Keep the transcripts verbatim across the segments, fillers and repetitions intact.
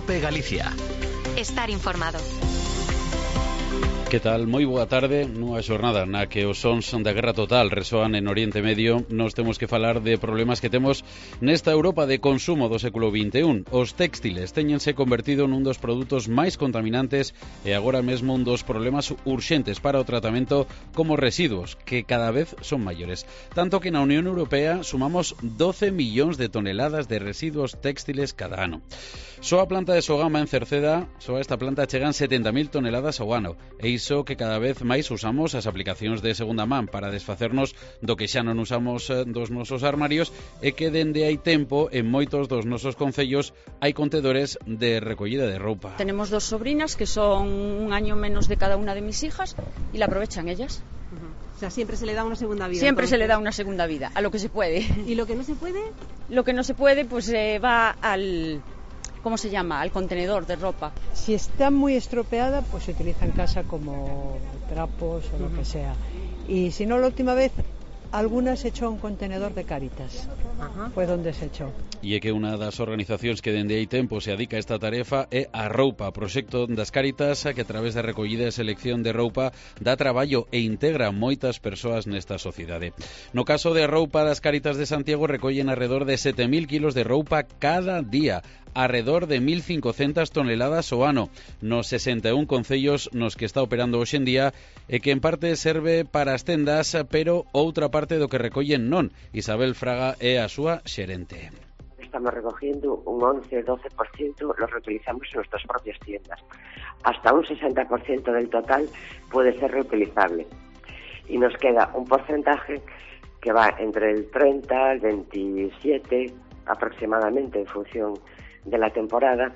COPE Galicia. Estar informado. Que tal? Moi boa tarde. Nunha xornada na que os sons da guerra total resoan en Oriente Medio, nos temos que falar de problemas que temos nesta Europa de consumo do século vinte e un. Os textiles teñense convertido nun dos produtos máis contaminantes e agora mesmo un dos problemas urxentes para o tratamento como residuos, que cada vez son maiores. Tanto que na Unión Europea sumamos doce millóns de toneladas de residuos textiles cada ano. Só a planta de Sogama en Cerceda, só a esta planta chegan setenta mil toneladas ao ano, e iso que cada vez máis usamos as aplicacións de segunda man para desfacernos do que xa non usamos dos nosos armarios e que dende hai tempo en moitos dos nosos concellos hai contedores de recollida de roupa. Tenemos dos sobrinas que son un año menos de cada una de mis hijas y la aprovechan ellas. Uh-huh. O sea, siempre se le da una segunda vida. Siempre entonces. se le da una segunda vida, a lo que se puede. ¿Y lo que no se puede? Lo que no se puede, pues eh, va al... ¿Cómo se llama? Al contenedor de ropa. Si está muy estropeada, pues se utiliza en casa como trapos o lo uh-huh. que sea. Y si no, la última vez, algunas se echó a un contenedor de Cáritas. Uh-huh. Fue donde se echó. E é que unha das organizacións que dende hai tempo se adica a esta tarefa é a Roupa, proxecto das Cáritas que a través da recollida e selección de roupa dá traballo e integra moitas persoas nesta sociedade. No caso de Roupa das Cáritas de Santiago recollen alrededor de sete mil kilos de roupa cada día, alrededor de mil cincocentas toneladas ao ano, nos sesenta e un concellos nos que está operando hoxe en día e que en parte serve para as tendas, pero outra parte do que recollen non. Isabel Fraga é a súa xerente. Estamos recogiendo un once a doce por ciento, lo reutilizamos en nuestras propias tiendas. Hasta un sesenta por ciento del total puede ser reutilizable. Y nos queda un porcentaje que va entre el treinta al veintisiete aproximadamente en función de la temporada,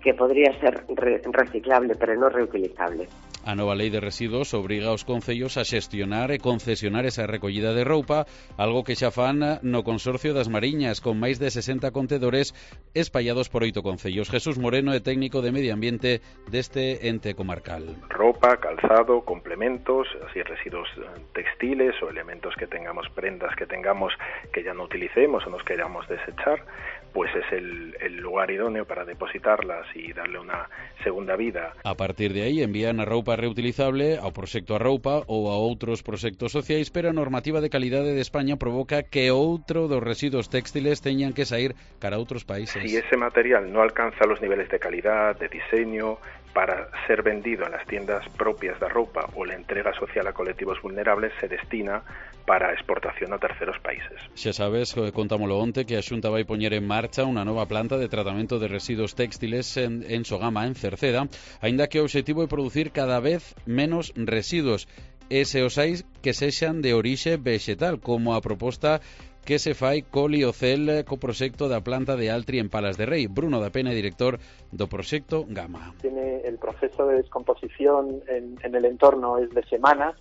que podría ser re- reciclable pero no reutilizable. A nova lei de residuos obriga aos concellos a xestionar e concesionar esa recollida de roupa, algo que xa fan no Consorcio das Mariñas, con máis de sesenta contedores espallados por oito concellos. Jesús Moreno é técnico de Medio Ambiente deste ente comarcal. Roupa, calzado, complementos, así residuos textiles o elementos que tengamos, prendas que tengamos que ya no utilicemos o nos queramos desechar, pues es el, el lugar idóneo para depositarlas y darle una segunda vida. A partir de aí envían a roupa reutilizable ao proxecto A Roupa ou a outros proxectos sociais, pero a normativa de calidade de España provoca que outro dos residuos textiles teñan que sair cara a outros países. Si ese material no alcanza los niveles de calidad, de diseño, para ser vendido en las tiendas propias da roupa ou la entrega social a colectivos vulnerables, se destina para exportación a terceros países. Xa sabes, contámolo onte, que a Xunta vai poñer en marcha unha nova planta de tratamento de residuos textiles en, en Sogama, en Cerceda, aínda que o obxectivo é producir cada vez menos residuos, e se os hai que sexan de orixe vexetal, como a proposta que se fai co Liocel co proxecto da planta de Altri en Palas de Rei. Bruno da Pena, director do proxecto Gama. Tiene el proceso de descomposición en, en el entorno es de semanas,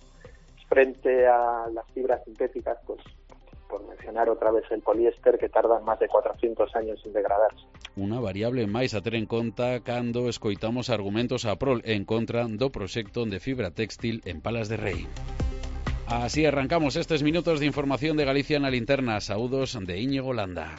frente a las fibras sintéticas, pues por mencionar otra vez el poliéster, que tardan más de cuatrocientos años en degradarse. Unha variable máis a ter en conta cando escoitamos argumentos a prol en contra do proxecto de fibra textil en Palas de Rei. Así arrancamos estes minutos de información de Galicia na Linterna. Saúdos de Íñigo Landa.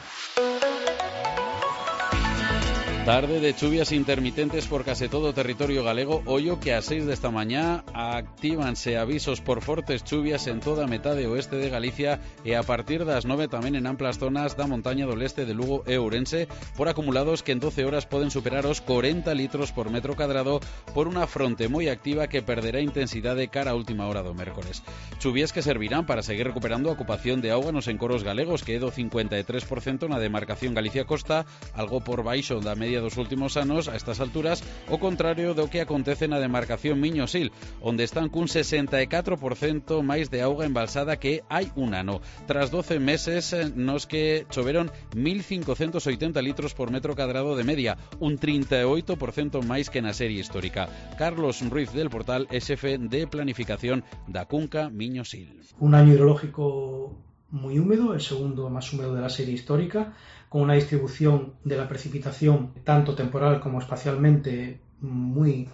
Tarde de chuvias intermitentes por case todo o territorio galego. Ollo que ás seis desta mañá actívanse avisos por fortes chuvias en toda a metade oeste de Galicia e a partir das nove tamén en amplas zonas da montaña do leste de Lugo e Ourense por acumulados que en doce horas poden superar os corenta litros por metro cadrado por unha fronte moi activa que perderá intensidade cara a última hora do mércores. Chuvias que servirán para seguir recuperando a ocupación de auga nos encoros galegos, que é do cincuenta e tres por cento na demarcación Galicia Costa, algo por baixo da media dos últimos anos a estas alturas, o contrario do que acontece na demarcación Miño-Sil, onde están cun sesenta e catro por cento máis de auga embalsada que hai un ano, tras doce meses nos que choveron mil cincocentos oitenta litros por metro cadrado de media, un trinta e oito por cento máis que na serie histórica. Carlos Ruiz del Portal é xefe de planificación da Cunca Miño-Sil. Un año hidrológico muy húmedo, el segundo más húmedo de la serie histórica, con una distribución de la precipitación tanto temporal como espacialmente muy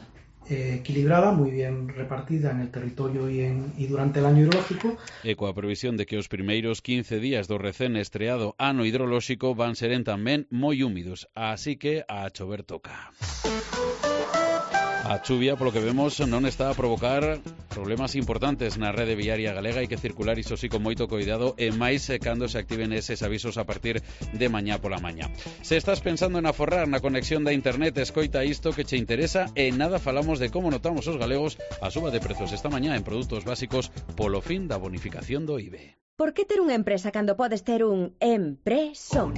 eh, equilibrada, muy bien repartida en el territorio y, en, y durante el año hidrológico. E coa previsión de que os primeiros quince días do recén estreado ano hidrolóxico van seren tamén moi húmidos, así que a chover toca. A chuvia, polo que vemos, non está a provocar problemas importantes na rede viaria galega. Hai que circular iso sí con moito cuidado e máis cando se activen eses avisos a partir de mañá pola mañá. Se estás pensando en aforrar na conexión da internet, escoita isto que che interesa e nada falamos de como notamos os galegos a suba de prezos esta mañá en produtos básicos polo fin da bonificación do I V E. Por que ter unha empresa cando podes ter un empresón?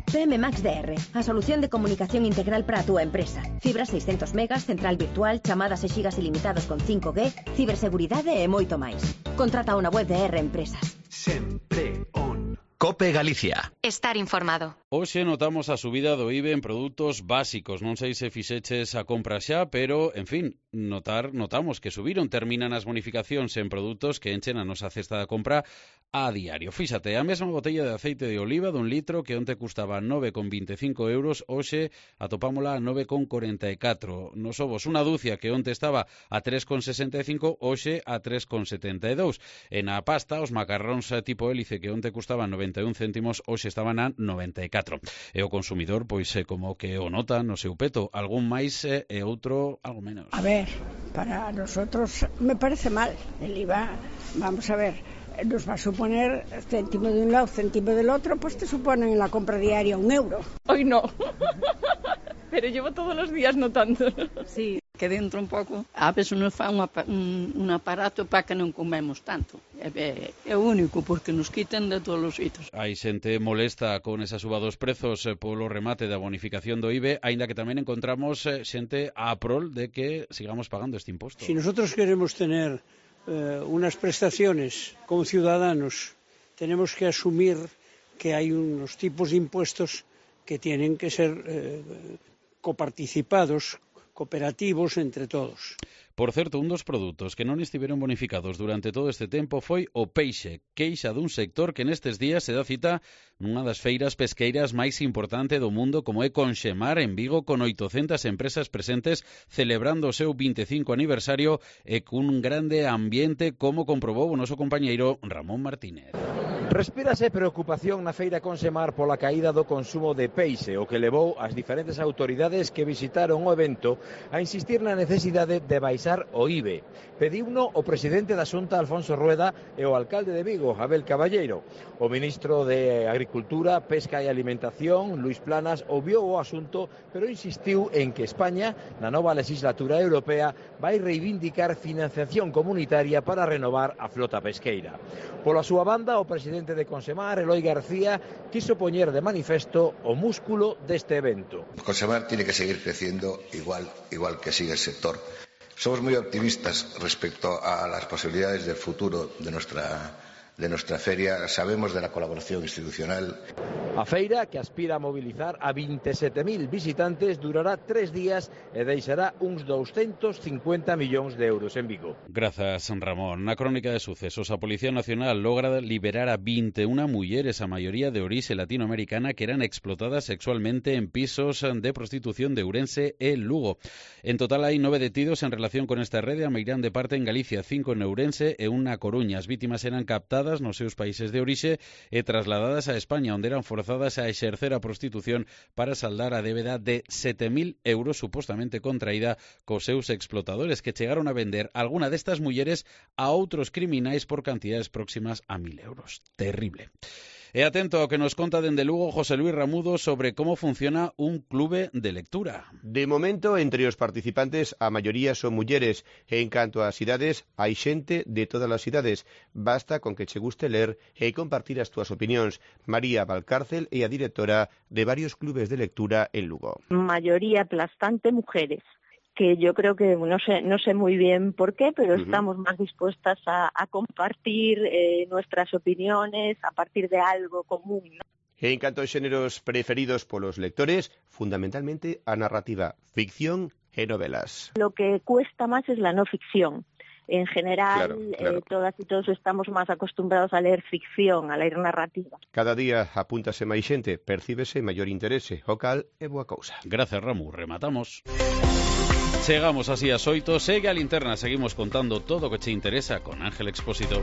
P M Max D R, a solución de comunicación integral para a túa empresa. Fibra seiscentos megas, central virtual, chamadas e xigas ilimitados con cinco G, ciberseguridade e moito máis. Contrata unha web de R Empresas. Sempre on. Cope Galicia. Estar informado. Hoxe notamos a subida do I V E en produtos básicos. Non sei se fixeches a compra xa, pero, en fin, notar, notamos que subiron. Terminan as bonificacións en produtos que enchen a nosa cesta de compra a diario. Fíxate, a mesma botella de aceite de oliva dun litro que onte custaba nove con veinticinco euros, hoxe atopámola a nove con corenta e catro. Nos ovos, unha dúcia que onte estaba a tres con sesenta e cinco, hoxe a tres con setenta e dous. En a pasta, os macarróns tipo hélice que onte custaban noventa e un céntimos, hoxe estaban a noventa e catro. E o consumidor, pois, é como que o nota no seu peto, algún máis e outro algo menos. A ver, para nosotros me parece mal el I V A. Vamos a ver, nos va a suponer céntimo de un lado, céntimo del otro, pues te suponen en la compra diaria un euro. Hoy no, pero llevo todos los días notando. Sí, que dentro un pouco, a veces nos fa un, un, un aparato para que non comemos tanto. É, é, é o único, porque nos quitan de todos os sitios. Hai xente molesta con esa suba dos prezos eh, polo remate da bonificación do I V E, aínda que tamén encontramos eh, xente a prol de que sigamos pagando este imposto. Si nosotros queremos tener eh, unas prestaciones como ciudadanos, tenemos que asumir que hay unos tipos de impuestos que tienen que ser eh, coparticipados, cooperativos entre todos. Por certo, un dos produtos que non estiveron bonificados durante todo este tempo foi o peixe, queixa dun sector que nestes días se dá cita nunha das feiras pesqueiras máis importante do mundo, como é Conxemar en Vigo, con oitocentas empresas presentes celebrando o seu veinticinco aniversario e cun grande ambiente, como comprobou o noso compañeiro Ramón Martínez. Respírase preocupación na feira Conxemar pola caída do consumo de peixe, o que levou as diferentes autoridades que visitaron o evento a insistir na necesidade de baixar o I V E. Pediuno o presidente da Xunta, Alfonso Rueda, e o alcalde de Vigo, Abel Caballeiro. O ministro de Agricultura, Pesca e Alimentación, Luis Planas, obviou o asunto, pero insistiu en que España, na nova legislatura europea, vai reivindicar financiación comunitaria para renovar a flota pesqueira. Pola súa banda, o presidente de Conxemar, Eloi García, quiso poñer de manifesto o músculo deste evento. Conxemar tiene que seguir creciendo igual, igual que sigue el sector. Somos muy optimistas respecto a las posibilidades del futuro de nuestra, de nuestra feria. Sabemos de la colaboración institucional. A feira, que aspira a mobilizar a veintisiete mil visitantes, durará tres días e deixará uns doscientos cincuenta millóns de euros en Vigo. Grazas, Ramón. Na crónica de sucesos, a Policía Nacional logra liberar a vinte e unha mulleres, a maioría de orixe latinoamericana, que eran explotadas sexualmente en pisos de prostitución de Ourense e Lugo. En total hai nove detidos en relación con esta rede, a meirán de parte en Galicia, cinco en Ourense e unha Coruña. As vítimas eran captadas nos seus países de orixe e trasladadas a España, onde eran forzadas a exercer a prostitución para saldar a débeda de sete mil euros supostamente contraída cos seus explotadores, que chegaron a vender alguna destas mulleres a outros criminais por cantidades próximas a mil euros. Terrible. E atento ao que nos conta dende Lugo José Luis Ramudo sobre como funciona un clube de lectura. De momento, entre os participantes, a maioría son mulleres, e en canto ás idades, hai xente de todas as idades. Basta con que che guste ler e compartir as túas opinións. María Valcárcel é a directora de varios clubes de lectura en Lugo. Mayoría aplastante mujeres, que yo creo que no sé no sé muy bien por qué, pero uh-huh. estamos más dispuestas a, a compartir eh, nuestras opiniones a partir de algo común, ¿no? En canto aos xéneros preferidos polos lectores, fundamentalmente a narrativa, ficción e novelas. Lo que cuesta más es la no ficción. en general, claro, claro. Eh, todas e todos estamos máis acostumbrados a ler ficción, a ler narrativa. Cada día apúntase máis xente, percíbese maior interese, o cal é boa cousa. Gracias, Ramu, rematamos. Chegamos así a oito, segue a linterna, seguimos contando todo o que che interesa con Ángel Expósito.